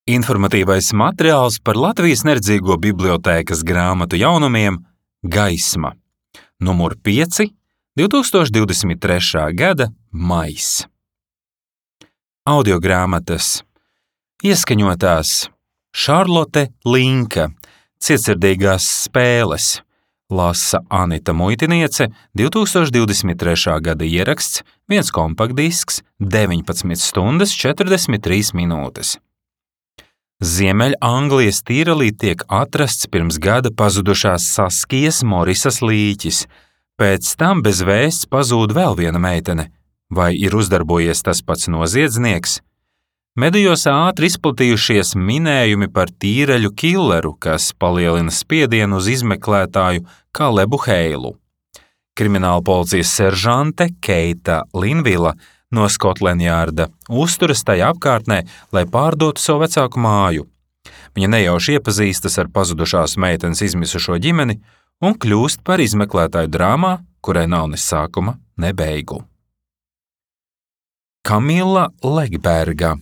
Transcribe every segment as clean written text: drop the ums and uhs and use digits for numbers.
Informatīvais materiāls par Latvijas Neredzīgo bibliotēkas grāmatu jaunumiem Gaisma, numur 5, 2023. gada maijs. Audiogrāmatas ieskaņotās Šarlote Linka, Cietsirdīgās spēles, lasa Anita Muitiniece, 2023. gada ieraksts, 1 kompaktdisks, 19 stundas 43 minūtes. Ziemeļanglijas Tīrelī tiek atrasts pirms gada pazudušās Saskijas Morisas līķis. Pēc tam bez vēsts pazūd vēl viena meitene. Vai ir uzdarbojies tas pats noziedznieks? Medijos ātri izplatījušies minējumi par tīreļu killeru, kas palielina spiedienu uz izmeklētāju Kalebu Heilu. Krimināla policijas seržante Keita Linvila no Scotland Yarda uzturas tajā apkārtnē, lai pārdotu savu vecāku māju. Viņa nejauši iepazīstas ar pazudušās meitenes izmisušo ģimeni un kļūst par izmeklētāju drāmā, kurai nav ne sākuma, ne beigu. Kamila Legberga,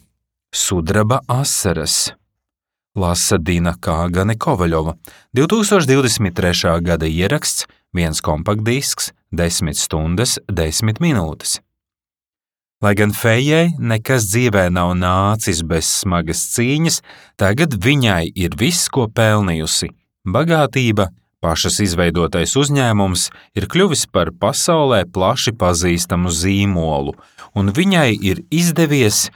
Sudraba asaras, lasa Dina Kāgane Kovaļova, 2023. gada ieraksts, 1 kompaktdisks, 10 stundas 10 minūtes. Lai gan Fejai nekas dzīvē nav nācis bez smagas cīņas, tagad viņai ir viss, ko pelnījusi. Bagātība, pašas izveidotais uzņēmums ir kļuvis par pasaulē plaši pazīstamu zīmolu, un viņai ir izdevies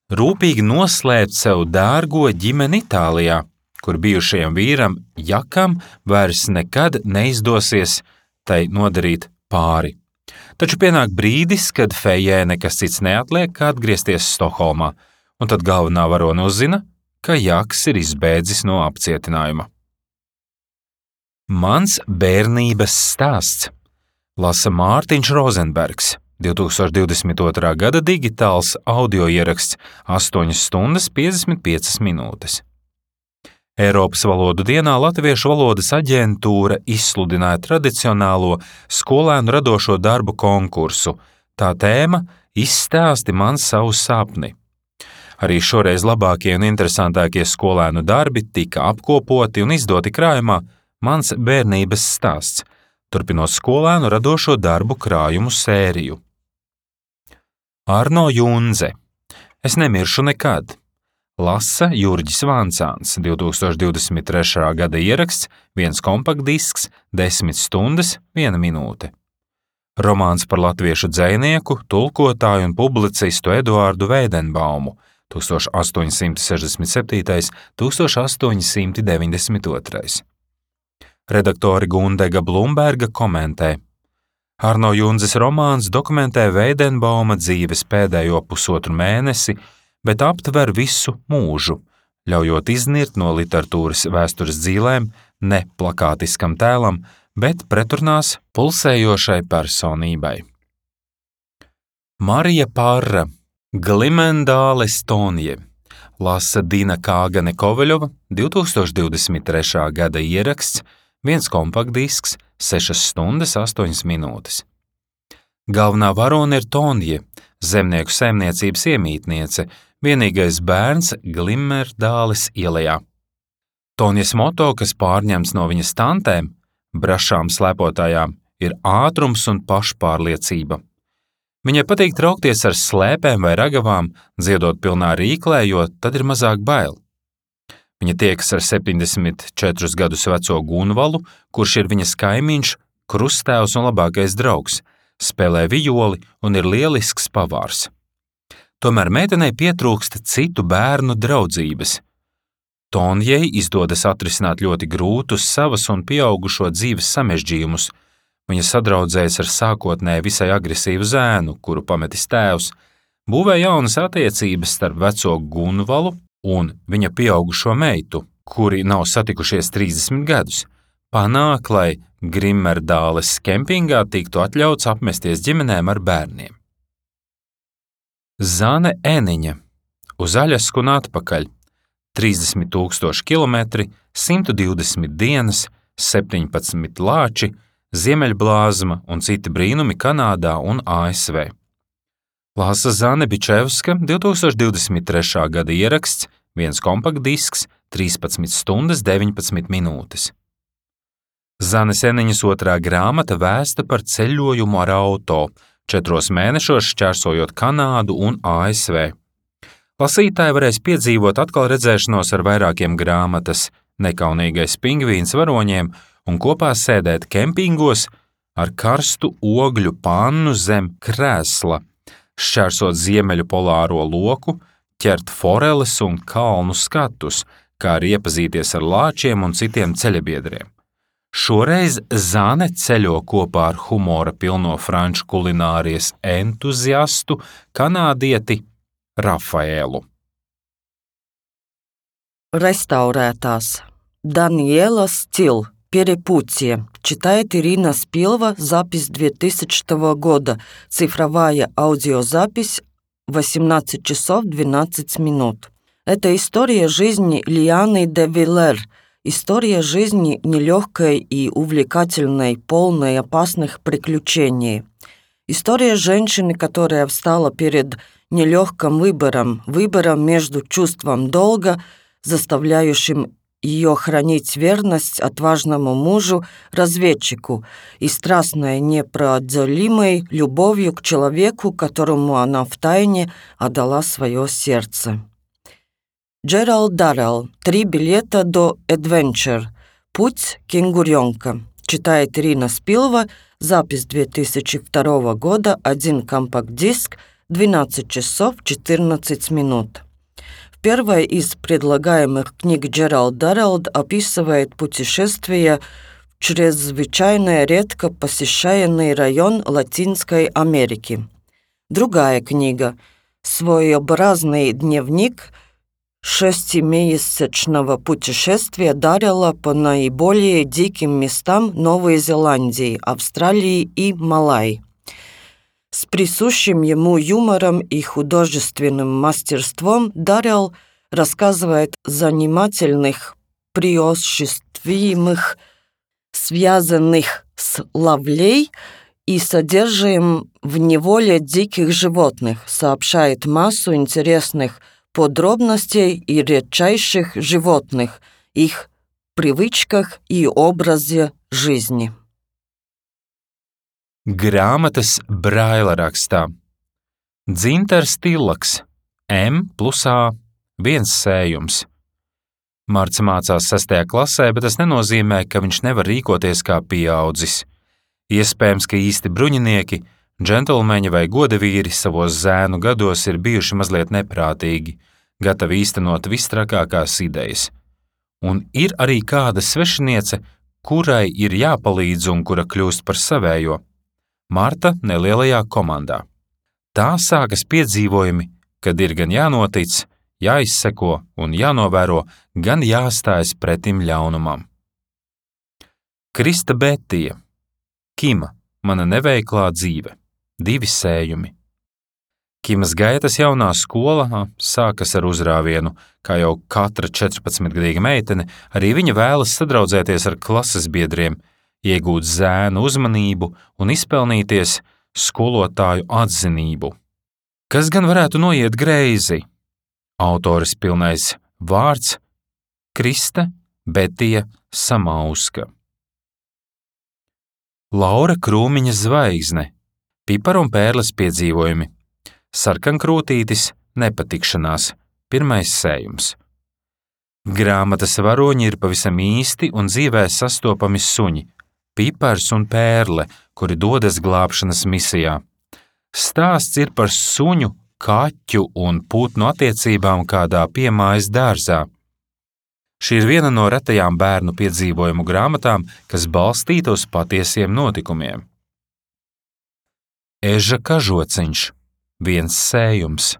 rūpīgi noslēpt sev dārgo ģimeni Itālijā, kur bijušajam vīram Jakam vairs nekad neizdosies tai nodarīt pāri. Taču pienāk brīdis, kad Fejai nekas cits neatliek, kā atgriezties Stokholmā, un tad galvenā varone uzzina, ka Jaks ir izbēdzis no apcietinājuma. Mans bērnības stāsts, lasa Mārtiņš Rozenbergs, 2022. gada digitāls audio ieraksts, 8 stundas 55 minūtes. Eiropas valodu dienā Latviešu valodas aģentūra izsludināja tradicionālo skolēnu radošo darbu konkursu. Tā tēma Izstāsti man savu sapni. Arī šoreiz labākie un interesantākie skolēnu darbi tika apkopoti un izdoti krājumā Mans bērnības stāsts, turpinot skolēnu radošo darbu krājumu sēriju. Arno Junze, Es nemiršu nekad, lasa Jurģis Vancāns, 2023. gada ieraksts, 1 kompaktdisks, 10 stundas 1 minūte. Romāns par latviešu dzejnieku, tulkotāju un publicistu Eduārdu Veidenbaumu, 1867. 1892. Redaktore Gundega Blumberga komentē. Arno Junzes romāns dokumentē Veidenbauma dzīves pēdējo pusotru mēnesi, bet aptver visu mūžu, ļaujot iznirt no literatūras vēstures dzīlēm ne plakātiskam tēlam, bet preturnās pulsējošai personībai. Marija Parra, Glimendāles Tonje, lasa Dina Kāgane Kovaļova, 2023. gada ieraksts, 1 kompaktdisks, 6 stundas 8 minūtes. Galvenā varone ir Tonje, zemnieku saimniecības iemītniece, vienīgais bērns Glimendāles ielejā. Tonjes moto, kas pārņemts no viņas tantēm, brašām slēpotājām, ir ātrums un pašpārliecība. Viņai patīk traukties ar slēpēm vai ragavām, dziedot pilnā rīklē, jo tad ir mazāk bail. Viņa tiekas ar 74 gadus veco Gunvalu, kurš ir viņas kaimiņš, krusttēvs un labākais draugs, spēlē vijoli un ir lielisks pavārs. Tomēr meitenei pietrūkst citu bērnu draudzības. Tonjei izdodas atrisināt ļoti grūtus savas un pieaugušo dzīves samežģījumus. Viņa sadraudzējas ar sākotnēji visai agresīvu zēnu, kuru pametis tēvs, būvē jaunas attiecības starp veco Gunvalu un viņa pieaugušo meitu, kuri nav satikušies 30 gadus, panāk, lai Glimendāles kempingā tiktu atļauts apmesties ģimenēm ar bērniem. Zane Eniņa, Uz Aļasku un atpakaļ, 30,000 kilometri, 120 dienas, 17 lāči, ziemeļblāzma un citi brīnumi Kanādā un ASV. Lāsa Zane Bičevska, 2023. gada ieraksts, viens kompaktdisks, 13 stundas 19 minūtes. Zanes Eniņas otrā grāmata vēsta par ceļojumu ar auto, 4 mēnešos šķērsojot Kanādu un ASV. Lasītāji varēs piedzīvot atkal redzēšanos ar vairākiem grāmatas, nekaunīgais pingvīns varoņiem un kopā sēdēt kempingos ar karstu ogļu pannu zem krēsla, šķērsot ziemeļu polāro loku, ķert foreles un kalnu skatus, kā arī iepazīties ar lāčiem un citiem ceļabiedriem. Šoreiz Zane ceļo kopā ar humora pilno franču kulinārijas entuziastu kanādieti Rafaēlu. Restaurētās. Daniela Стил. Перепутье. Читает Ирина Спилова. Запись 2000 года. Цифровая аудиозапись 18 часов 12 минут. Это история жизни Лианы де Виллер. История жизни нелегкой и увлекательной, полной опасных приключений. История женщины, которая встала перед нелегким выбором между чувством долга, заставляющим ее хранить верность отважному мужу-разведчику и страстной непроделимой любовью к человеку, которому она втайне отдала свое сердце. Джеральд Даррелл. 3 билета до Adventure. Путь кенгуренка. Читает Ирина Спилова. Запись 2002 года. 1 компакт-диск. 12 часов 14 минут. В первой из предлагаемых книг Джеральд Даррелл описывает путешествие в чрезвычайно редко посещаемый район Латинской Америки. Другая книга – своеобразный дневник 6-месячного путешествия Даррелла по наиболее диким местам Новой Зеландии, Австралии и Малайи. С присущим ему юмором и художественным мастерством Даррелл рассказывает о занимательных происшествиях, связанных с ловлей и содержанием в неволе диких животных, сообщает массу интересных подробностей и редчайших животных, их привычках и образе жизни. Grāmatas Braila rakstā. Dzintars Tillaks, M+A, 1 sējums. Marts mācās 6. klasē, bet tas nenozīmē, ka viņš nevar rīkoties kā pieaudzis. Iespējams, ka īsti bruņinieki, džentlmeņi vai godavīri savos zēnu gados ir bijuši mazliet neprātīgi, gatavi īstenot vistrakākās idejas. Un ir arī kāda svešiniece, kurai ir jāpalīdz un kura kļūst par savējo. Marta nelielajā komandā. Tā sākas piedzīvojumi, kad ir gan jānotic, jāizseko un jānovēro, gan jāstājas pretim ļaunumam. Krista Betija. Kima, mana neveiklā dzīve. 2 sējumi. Kimas gaitas jaunā skola sākas ar uzrāvienu, kā jau katra 14-gadīga meitene, arī viņa vēlas sadraudzēties ar klases biedriem, iegūt zēnu uzmanību un izpelnīties skolotāju atzinību. Kas gan varētu noiet greizi? Autores pilnais vārds – Krista Betija Samauska. Laura Krūmiņa zvaigzne. Pipara un pērles piedzīvojumi. Sarkankrūtītis nepatikšanās. 1. sējums. Grāmatas varoņi ir pavisam īsti un dzīvē sastopami suņi. Pipars un pērle, kuri dodas glābšanas misijā. Stāsts ir par suņu, kaķu un putnu attiecībām kādā piemājas dārzā. Šī ir viena no retajām bērnu piedzīvojumu grāmatām, kas balstīta uz patiesiem notikumiem. Eža kažociņš. 1 sējums.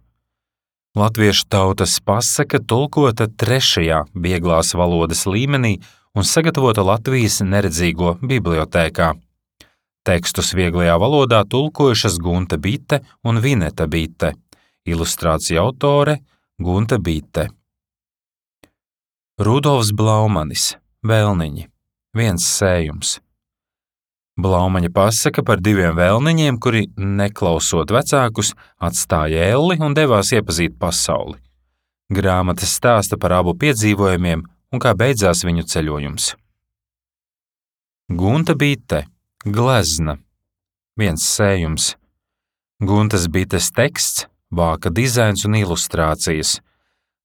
Latviešu tautas pasaka tulkota 3. vieglās valodas līmenī un sagatavota Latvijas neredzīgo bibliotēkā. Tekstus vieglajā valodā tulkojušas Gunta Bite un Vineta Bite. Ilustrācija autore Gunta Bite. Rudolfs Blaumanis. Vēlniņi. 1 sējums. Blaumaņa pasaka par 2 vēlniņiem, kuri, neklausot vecākus, atstāja elli un devās iepazīt pasauli. Grāmata stāsta par abu piedzīvojumiem un kā beidzās viņu ceļojums. Gunta bite, glezna, viens sējums. Guntas bites teksts, vāka dizains un ilustrācijas.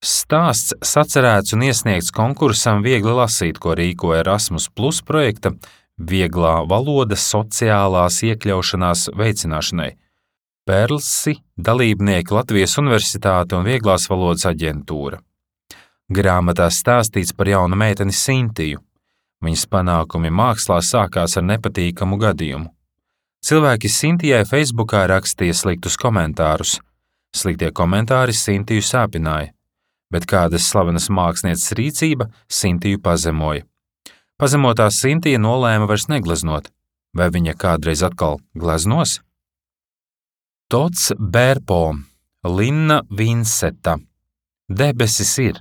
Stāsts sacerēts un iesniegts konkursam Viegli lasīt, ko rīkoja Erasmus Plus projekta Vieglā valoda sociālās iekļaušanās veicināšanai. Perlsi, dalībnieki Latvijas Universitāte un Vieglās valodas aģentūra. Grāmatā stāstīts par jaunu meiteni Sintiju. Viņas panākumi mākslā sākās ar nepatīkamu gadījumu. Cilvēki Sintijai Facebookā rakstīja sliktus komentārus. Sliktie komentāri Sintiju sāpināja, bet kādas slavenas mākslinieces rīcība Sintiju pazemoja. Pazemotā Sintija nolēma vairs negleznot. Vai viņa kādreiz atkal gleznos? Tots Bērpo, Linna Vinseta. Debesis ir.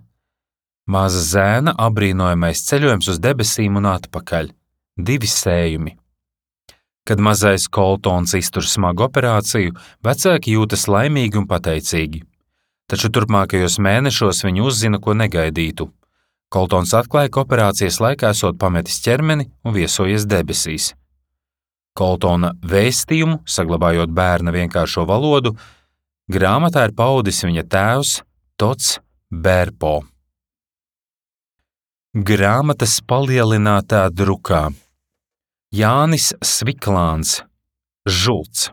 Maza zēna apbrīnojamais ceļojums uz debesīm un atpakaļ. 2 sējumi. Kad mazais Koltons iztur smagu operāciju, vecāki jūtas laimīgi un pateicīgi. Taču turpmākajos mēnešos viņi uzzina, ko negaidītu. Koltons atklāja, ka operācijas laikā esot pametis ķermeni un viesojies debesīs. Koltona vēstījumu, saglabājot bērna vienkāršo valodu, grāmatā ir paudis viņa tēvs Tots Bērpo. Grāmatas palielinātā drukā. Jānis Sviklāns, Žults.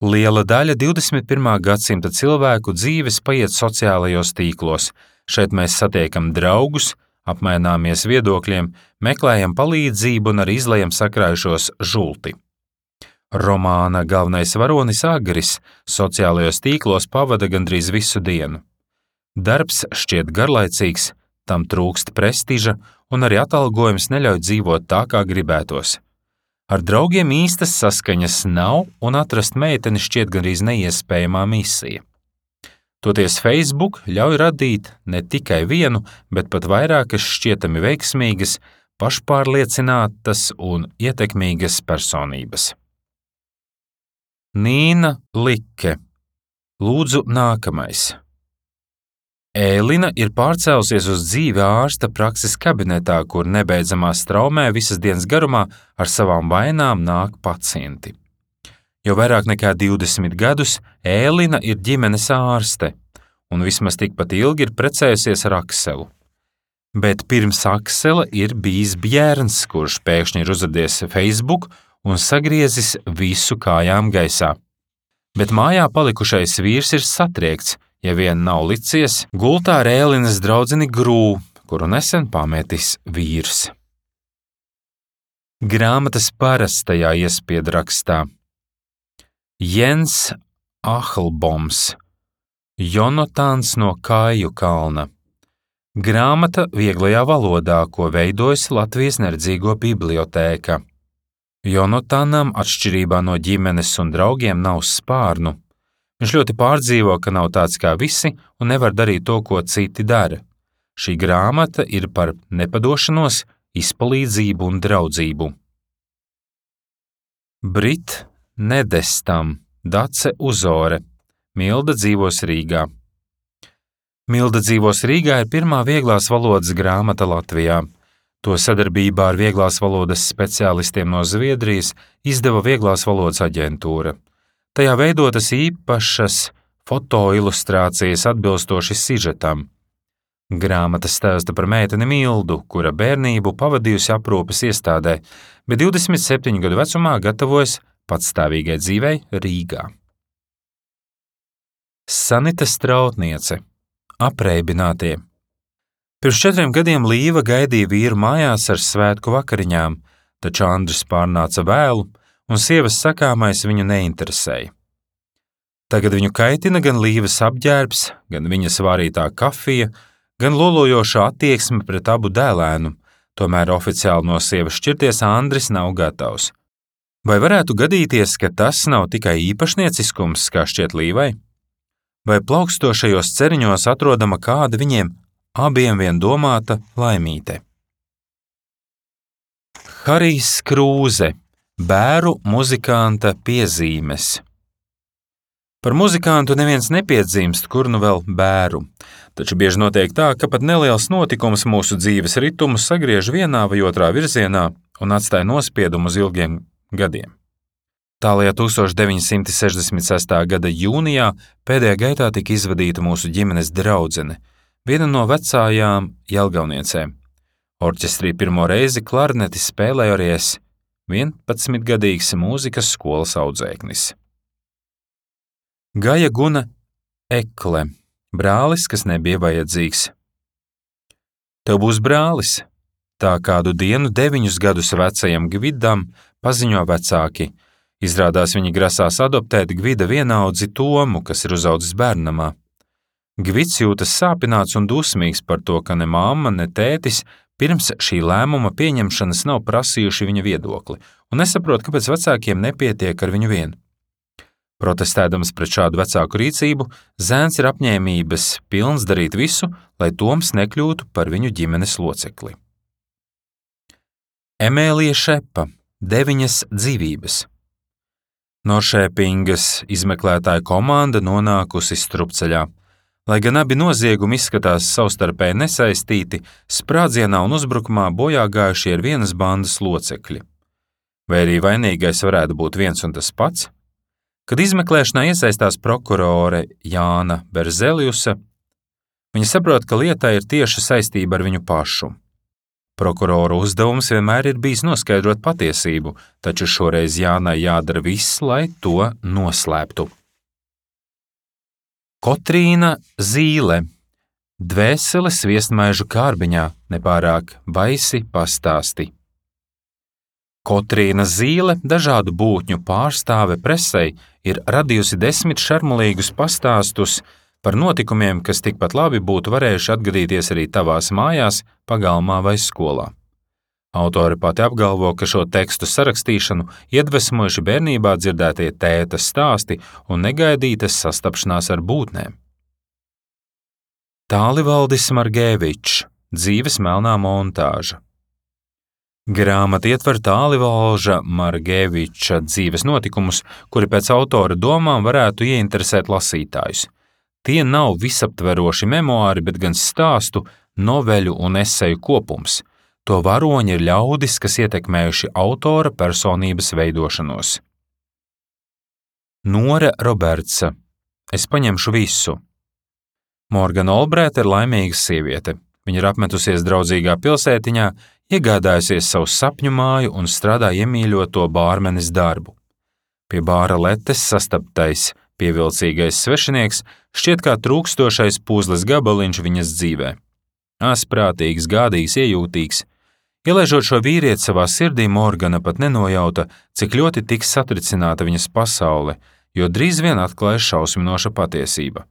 Liela daļa 21. gadsimta cilvēku dzīves paiet sociālajos tīklos. Šeit mēs satiekam draugus, apmaināmies viedokļiem, meklējam palīdzību un arī izlejam sakrājušos žulti. Romāna galvenais varonis Agris sociālajos tīklos pavada gandrīz visu dienu. Darbs šķiet garlaicīgs, tam trūkst prestiža un arī atalgojums neļauj dzīvot tā, kā gribētos. Ar draugiem īstas saskaņas nav un atrast meiteni šķiet gandrīz neiespējamā misija. Toties Facebook ļauj radīt ne tikai vienu, bet pat vairākas šķietami veiksmīgas, pašpārliecinātas un ietekmīgas personības. Nīna Like. Lūdzu, nākamais. Ēlina ir pārcēlusies uz dzīvi ārsta prakses kabinetā, kur nebeidzamā straumē visas dienas garumā ar savām vainām nāk pacienti. Jau vairāk nekā 20 gadus Ēlina ir ģimenes ārste, un vismaz tikpat ilgi ir precējusies ar Akselu. Bet pirms Aksela ir bijis Bjērns, kurš pēkšņi ir uzradies Facebook un sagriezis visu kājām gaisā. Bet mājā palikušais vīrs ir satriekts, ja vien nav licies gultā ar Ēlinas draudzeni Grū, kuru nesen pametis vīrs. Grāmatas parastajā iespiedrakstā. Jens Ahlboms, Jonatāns no Kāju kalna. Grāmata vieglajā valodā, ko veidojas Latvijas neredzīgo bibliotēka. Jonatānam atšķirībā no ģimenes un draugiem nav spārnu. Viņš ļoti pārdzīvo, ka nav tāds kā visi un nevar darīt to, ko citi dara. Šī grāmata ir par nepadošanos, izpalīdzību un draudzību. Brit Nedestam, Dace Uzore. Milda dzīvos Rīgā. Milda dzīvos Rīgā ir pirmā vieglās valodas grāmata Latvijā. To sadarbībā ar vieglās valodas speciālistiem no Zviedrijas izdeva Vieglās valodas aģentūra. Tajā veidotas īpašas fotoilustrācijas atbilstoši sižetam. Grāmata stāsta par meiteni Mildu, kura bērnību pavadījusi aprūpes iestādē, bet 27 gadu vecumā gatavojas patstāvīgai dzīvei Rīgā. Sanita Strautniece. Apreibinātie. Pirms 4 gadiem Līva gaidīja vīru mājās ar svētku vakariņām, taču Andris pārnāca vēlu, un sievas sakāmais viņu neinteresēja. Tagad viņu kaitina gan Līvas apģērbs, gan viņas vārītā kafija, gan lolojošā attieksme pret abu dēlēnu, tomēr oficiāli no sievas šķirties Andris nav gatavs. Vai varētu gadīties, ka tas nav tikai īpašnieciskums, kā šķiet Līvai? Vai plaukstošajos ceriņos atrodama kāda viņiem abiem vien domāta laimīte? Harijs Krūze. Bēru muzikanta piezīmes. Par muzikantu neviens nepiedzimst, kur nu vēl bēru. Taču bieži notiek tā, ka pat neliels notikums mūsu dzīves ritumu sagriež vienā vai otrā virzienā un atstāja nospiedumu uz ilgiem gadiem. Tālajā 1966. gada jūnijā pēdējā gaitā tika izvadīta mūsu ģimenes draudzene, viena no vecājām Jelgavniecēm. Orķestrī pirmo reizi klarneti spēlēju arī es, 11-gadīgs mūzikas skolas audzēknis. Gaja Guna Ekle, brālis, kas nebija vajadzīgs. Tev būs brālis, tā kādu dienu 9 gadus vecajam Gvidam paziņo vecāki. Izrādās viņi grasās adoptēt Gvida vienaudzi Tomu, kas ir uzaudzis bērnamā. Gvids jūtas sāpināts un dusmīgs par to, ka ne mamma, ne tētis pirms šī lēmuma pieņemšanas nav prasījuši viņa viedokli, un nesaprot, kāpēc vecākiem nepietiek ar viņu vienu. Protestēdams pret šādu vecāku rīcību, zēns ir apņēmības pilns darīt visu, lai Toms nekļūtu par viņu ģimenes locekli. Emēlija Šepa, 9 dzīvības. Noršēpingas izmeklētāja komanda nonākusi strupceļā. Lai gan abi noziegumi izskatās savstarpēji nesaistīti, sprādzienā un uzbrukumā bojā gājušie ir vienas bandas locekļi. Vai arī vainīgais varētu būt viens un tas pats? Kad izmeklēšanā iesaistās prokurore Jāna Berzeliusa, viņa saprot, ka lietai ir tieša saistība ar viņu pašu. Prokuroru uzdevums vienmēr ir bijis noskaidrot patiesību, taču šoreiz Jānai jādara viss, lai to noslēptu. Kotrīna Zīle, dvēsele sviestmaižu kārbiņā, nepārāk baisi pastāsti. Kotrīna Zīle, dažādu būtņu pārstāve presei, ir radījusi 10 šarmulīgus pastāstus par notikumiem, kas tikpat labi būtu varējuši atgadīties arī tavās mājās, pagalmā vai skolā. Autore pati apgalvo, ka šo tekstu sarakstīšanu iedvesmojuši bērnībā dzirdētie tēta stāsti un negaidītas sastapšanās ar būtnēm. Tālivaldis Margēvičs, dzīves melnā montāža. Grāmata ietver Tālivalža Margēviča dzīves notikumus, kuri pēc autora domām varētu ieinteresēt lasītājus. Tie nav visaptveroši memoāri, bet gan stāstu, noveļu un eseju kopums. To varoņi ir ļaudis, kas ietekmējuši autora personības veidošanos. Nora Robertsa, es paņemšu visu. Morgana Olbrēta ir laimīga sieviete. Viņa ir apmetusies draudzīgā pilsētiņā, iegādājusies savu sapņu māju un strādā iemīļoto bārmenes darbu. Pie bāra letes sastaptais pievilcīgais svešinieks šķiet kā trūkstošais puzles gabaliņš viņas dzīvē. Asprātīgs, gādīgs, iejūtīgs. Ielaižot šo vīrieti savā sirdī, Morgana pat nenojauta, cik ļoti tiks satricināta viņas pasaule, jo drīz vien atklājas šausminoša patiesība.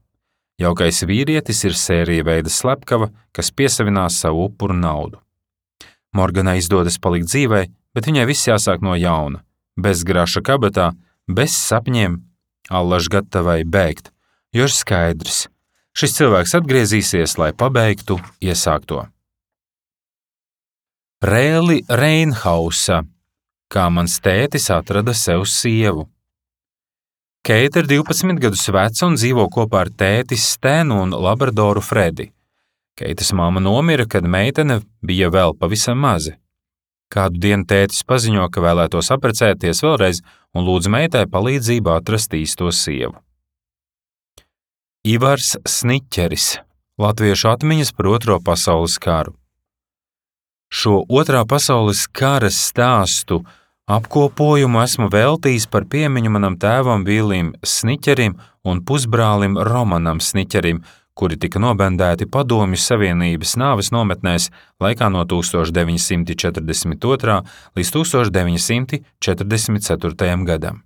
Jaukais vīrietis ir sērija veida slepkava, kas piesavinās savu upuru naudu. Morganai izdodas palikt dzīvai, bet viņai viss jāsāk no jauna. Bez graša kabatā, bez sapņiem, allaž gatavai bēgt, jo ir skaidrs, šis cilvēks atgriezīsies, lai pabeigtu iesākto. Rēli Reinhausa, kā mans tētis atrada sev sievu. Keita ir 12 gadus veca un dzīvo kopā ar tēti Stenu un labradoru Fredi. Keitas mamma nomira, kad meitene bija vēl pavisam maza. Kādu dienu tētis paziņo, ka vēlētos apprecēties vēlreiz un lūdz meitai palīdzību atrast īsto sievu. Ivars Sniķeris, latviešu atmiņas par Otro pasaules karu. Šo Otrā pasaules kara stāstu apkopojumu esmu veltījis par piemiņu manam tēvam Vilim Sniķerim un pusbrālim Romanam Sniķerim, kuri tika nobendēti Padomju Savienības nāves nometnēs laikā no 1942. līdz 1944. gadam.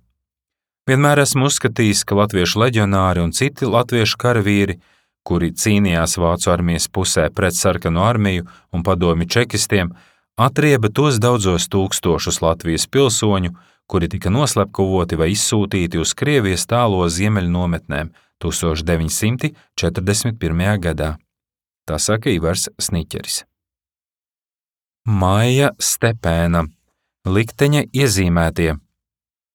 Vienmēr esmu uzskatījis, ka latviešu leģionāri un citi latviešu karavīri, kuri cīnījās Vācu armijas pusē pret sarkano armiju un padomju čekistiem, atrieba tos daudzos tūkstošus Latvijas pilsoņu, kuri tika noslepkavoti vai izsūtīti uz Krievijas tālo ziemeļu nometnēm 1941. gadā. Tā saka Ivars Sniķeris. Maija Stepēna, likteņa iezīmētie.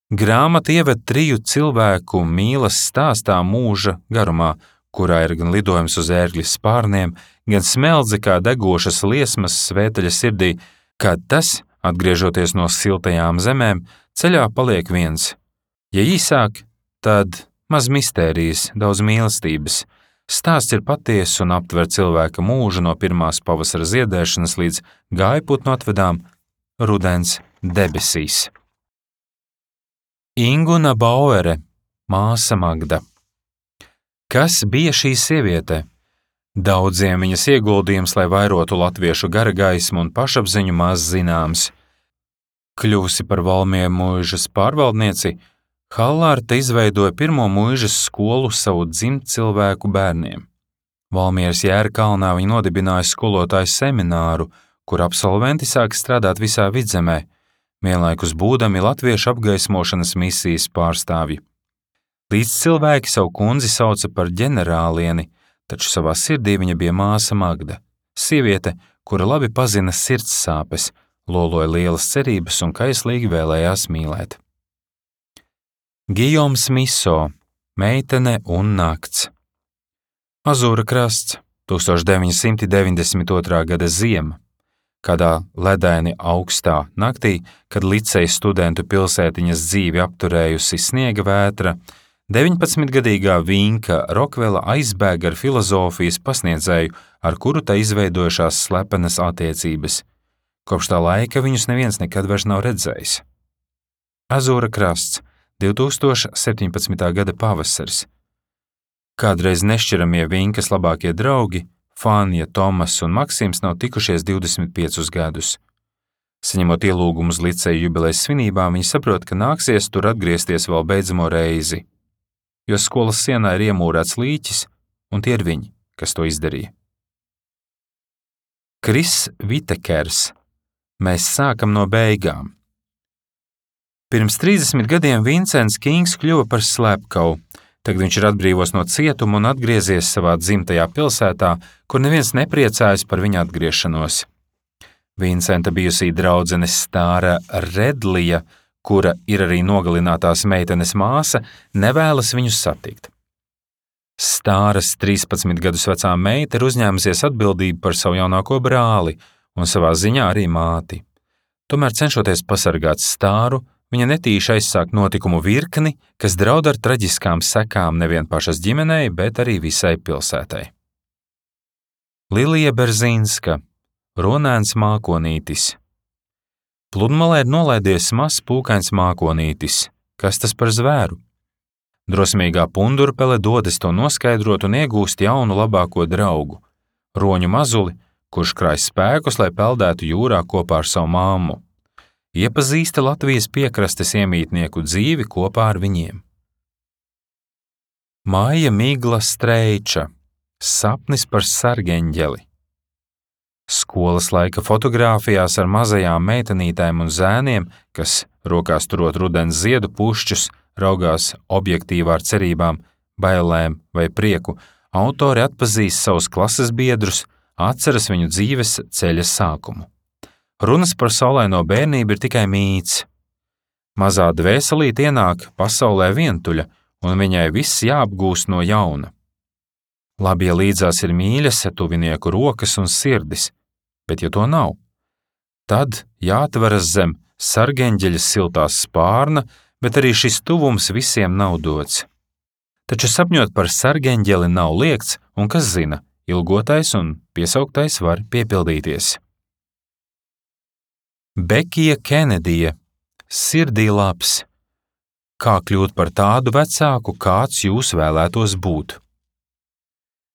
Grāmata ieved 3 cilvēku mīlas stāstā mūža garumā, kurā ir gan lidojums uz ērgļa spārniem, gan smeldze kā degošas liesmas svēteļa sirdī, kad tas, atgriežoties no siltajām zemēm, ceļā paliek viens. Ja īsāk, tad maz mistērijas, daudz mīlestības. Stāsts ir patiess un aptver cilvēka mūžu no pirmās pavasara ziedēšanas līdz gājputnu atvedām rudens debesīs. Inguna Bauere, māsa Magda. Kas bija šī sieviete? Daudziem viņas ieguldījums, lai vairotu latviešu gara gaismu un pašapziņu, maz zināms. Kļuvusi par Valmiera muižas pārvaldnieci, Hallārta izveidoja pirmo muižas skolu savu dzimtcilvēku bērniem. Valmieras Jērkalnā viņa nodibināja skolotāju semināru, kur absolventi sāka strādāt visā Vidzemē, vienlaikus būdami latviešu apgaismošanas misijas pārstāvji. Līdz cilvēki savu kundzi sauca par ģenerālieni, taču savā sirdī viņa bija māsa Magda, sieviete, kura labi pazina sirds sāpes, loloja lielas cerības un kaislīgi vēlējās mīlēt. Gijoms Miso, meitene un nakts. Azūra krasts, 1992. gada ziema. Kādā ledaini augstā naktī, kad liceja studentu pilsētiņas dzīvi apturējusi sniega vētra, 19-gadīgā Vinka Rokvela aizbēga ar filozofijas pasniedzēju, ar kuru tā izveidojušās slepenas attiecības. Kopš tā laika viņus neviens nekad vairs nav redzējis. Azūra krasts, 2017. gada pavasaris. Kādreiz nešķiramie Vinkas labākie draugi, Fānija, Tomas un Maksims nav tikušies 25 gadus. Saņemot ielūgumu uz liceja jubilejas svinībām, viņi saprot, ka nāksies tur atgriezties vēl beidzamo reizi, jo skolas sienā ir iemūrēts līķis, un tie ir viņi, kas to izdarīja. Kris Vitekers. Mēs sākam no beigām. Pirms 30 gadiem Vincents Kings kļuva par slepkavu. Tagad viņš ir atbrīvos no cietuma un atgriezies savā dzimtajā pilsētā, kur neviens nepriecājas par viņa atgriešanos. Vincenta bijusī draudzene Stāra Redlija, kura ir arī nogalinātās meitenes māsa, nevēlas viņus satikt. Stāras 13 gadus vecā meita ir uzņēmusies atbildību par savu jaunāko brāli un savā ziņā arī māti. Tomēr cenšoties pasargāt Stāru, viņa netīši aizsāk notikumu virkni, kas draud ar traģiskām sekām nevien pašas ģimenei, bet arī visai pilsētai. Lilija Berzīnska, Ronēns mākonītis. Pludmalē ir nolaidies mazs pūkains mākonītis. Kas tas par zvēru? Drosmīgā pundurpele dodas to noskaidrot un iegūst jaunu labāko draugu, roņu mazuli, kurš krāj spēkus, lai peldētu jūrā kopā ar savu mammu. Iepazīsta Latvijas piekrastes iemītnieku dzīvi kopā ar viņiem. Maija Migla Streiča, sapnis par sargeņģeli. Skolas laika fotogrāfijās ar mazajām meitenītēm un zēniem, kas rokās turot rudens ziedu pušķus, raugās objektīvā ar cerībām, bailēm vai prieku, autori atpazīst savus klases biedrus, atceras viņu dzīves ceļa sākumu. Runas par saulaino bērnību ir tikai mīts. Mazā dvēselīte ienāk pasaulē vientuļa, un viņai viss jāapgūst no jauna. Labi, ja līdzās ir mīļas, tuvinieku rokas un sirdis, bet ja to nav, tad jāatveras zem sargeņģeļa siltās spārna, bet arī šis tuvums visiem nav dots. Taču sapņot par sargeņģeli nav liegts, un kas zina, ilgotais un piesauktais var piepildīties. Bekija Kenedija, sirdī labs. Kā kļūt par tādu vecāku, kāds jūs vēlētos būt?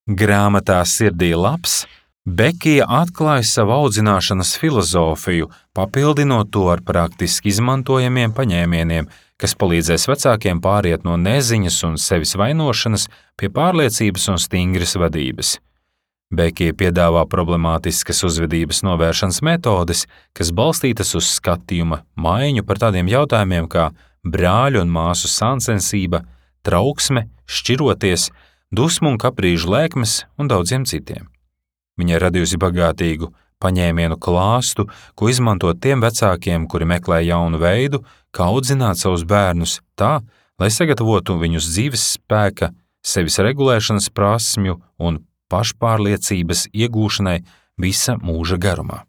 Grāmatā Sirdī labs Bekija atklāja savu audzināšanas filozofiju, papildinot to ar praktiski izmantojamiem paņēmieniem, kas palīdzēs vecākiem pāriet no neziņas un sevis vainošanas pie pārliecības un stingras vadības. Bekija piedāvā problemātiskas uzvedības novēršanas metodes, kas balstītas uz skatījuma maiņu par tādiem jautājumiem kā brāļu un māsu sāncensība, trauksme, šķiroties, dusmu un kaprīžu lēkmes un daudziem citiem. Viņa ir radījusi bagātīgu paņēmienu klāstu, ko izmantot tiem vecākiem, kuri meklē jaunu veidu, kā audzināt savus bērnus tā, lai sagatavotu viņus dzīves spēka, sevis regulēšanas prasmju un pašpārliecības iegūšanai visa mūža garumā.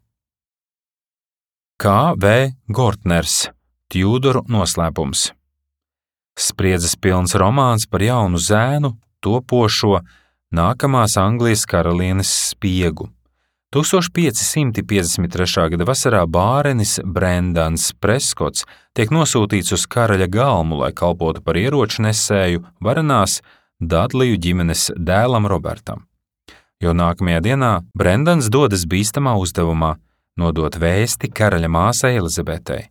K. V. Gortners, Tjūdoru noslēpums. Spriedzes pilns romāns par jaunu zēnu, topošo nākamās Anglijas karalienes spiegu. 1553. gada vasarā bārenis Brendans Preskots tiek nosūtīts uz karaļa galmu, lai kalpotu par ieroču nesēju varanās Dadliju ģimenes dēlam Robertam. Jau nākamajā dienā Brendans dodas bīstamā uzdevumā nodot vēsti karaļa māsai Elizabetei.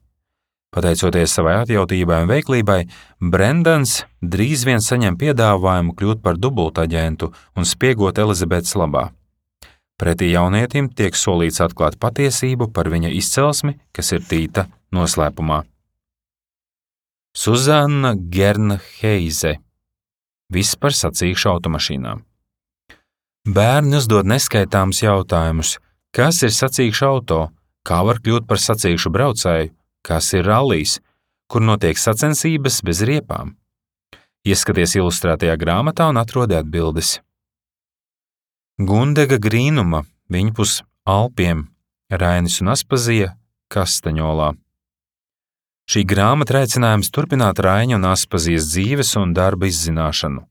Pateicoties savai atjautībai un veiklībai, Brendans drīz vien saņem piedāvājumu kļūt par dubultaģentu un spiegot Elizabetes labā. Pretī jaunietim tiek solīts atklāt patiesību par viņa izcelsmi, kas ir tīta noslēpumā. Suzanna Gernheize. Viss par sacīkšu automašīnām. Bērni uzdod neskaitāmus jautājumus. Kas ir sacīkšu auto? Kā var kļūt par sacīkšu braucēju? Kas ir rallijs? Kur notiek sacensības bez riepām? Ieskaties ilustrētajā grāmatā un atrodi atbildes. Gundega Grīnuma, viņpus Alpiem, Rainis un Aspazija, Kastaņolā. Šī grāmata aicinājums turpināt Raiņa un Aspazijas dzīves un darba izzināšanu.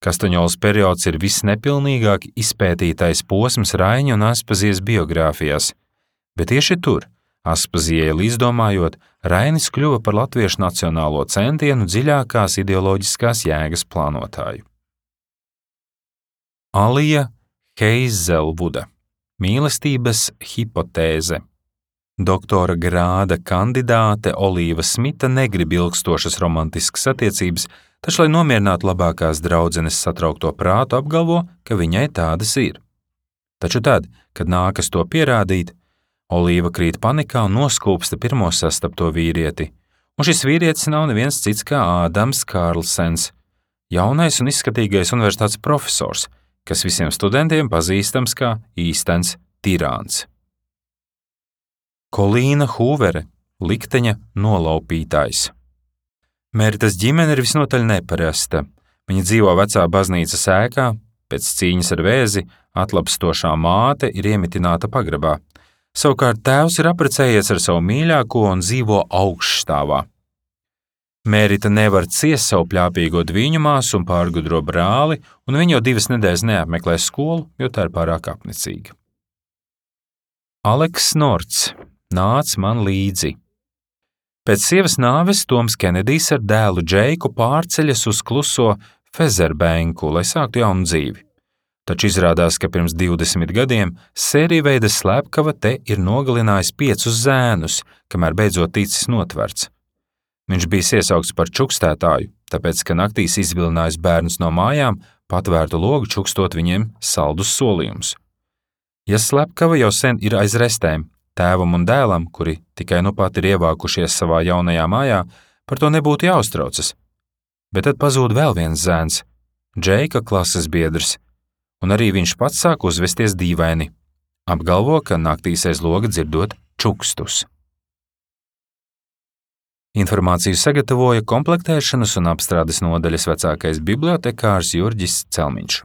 Kastaņolas periods ir visnepilnīgāk izpētītais posms Raiņa un Aspazijas biogrāfijās, bet tieši tur, Aspazijai līdzdomājot, Rainis kļuva par latviešu nacionālo centienu dziļākās ideoloģiskās jēgas plānotāju. Alija Heizelvuda, mīlestības hipotēze. Doktora grāda kandidāte Olīva Smita negrib ilgstošas romantiskas attiecības, taču, lai nomierinātu labākās draudzenes satraukto prātu, apgalvo, ka viņai tādas ir. Taču tad, kad nākas to pierādīt, Olīva krīt panikā un noskūpsta pirmo sastapto vīrieti, un šis vīrietis nav neviens cits kā Ādams Kārlsens, jaunais un izskatīgais universitātes profesors, kas visiem studentiem pazīstams kā īstens tirāns. Kolīna Hūvere, likteņa nolaupītājs. Meritas ģimene ir visnotaļ neparasta. Viņa dzīvo vecā baznīcas ēkā, pēc cīņas ar vēzi atlapstošā māte ir iemitināta pagrabā. Savukārt tēvs ir apprecējies ar savu mīļāko un dzīvo augšstāvā. Mērita nevar ciest savu pļāpīgo dviņu māsu un pārgudro brāli, un viņa jau 2 nedēļas neapmeklē skolu, jo tā ir pārāk apnicīga. Aleks Norts, nāc man līdzi. Pēc sievas nāves Toms Kenedijs ar dēlu Džeiku pārceļas uz kluso Fezerbenku, lai sāktu jaunu dzīvi. Taču izrādās, ka pirms 20 gadiem sērijveida slepkava te ir nogalinājis 5 zēnus, kamēr beidzot ticis notverts. Viņš bija iesaukts par čukstētāju, tāpēc, ka naktīs izvilinājis bērnus no mājām, patvērtu logu čukstot viņiem saldus solījumus. Ja slepkava jau sen ir aiz restēm, tēvam un dēlam, kuri tikai nu pat ir ievākušies savā jaunajā mājā, par to nebūtu jāuztraucas. Bet tad pazūd vēl viens zēns, Džeika klases biedrs, un arī viņš pats sāk uzvesties dīvaini. Apgalvo, ka naktīs aiz loga dzirdot čukstus. Informāciju sagatavoja komplektēšanas un apstrādes nodaļas vecākais bibliotekārs Jurģis Celmiņš.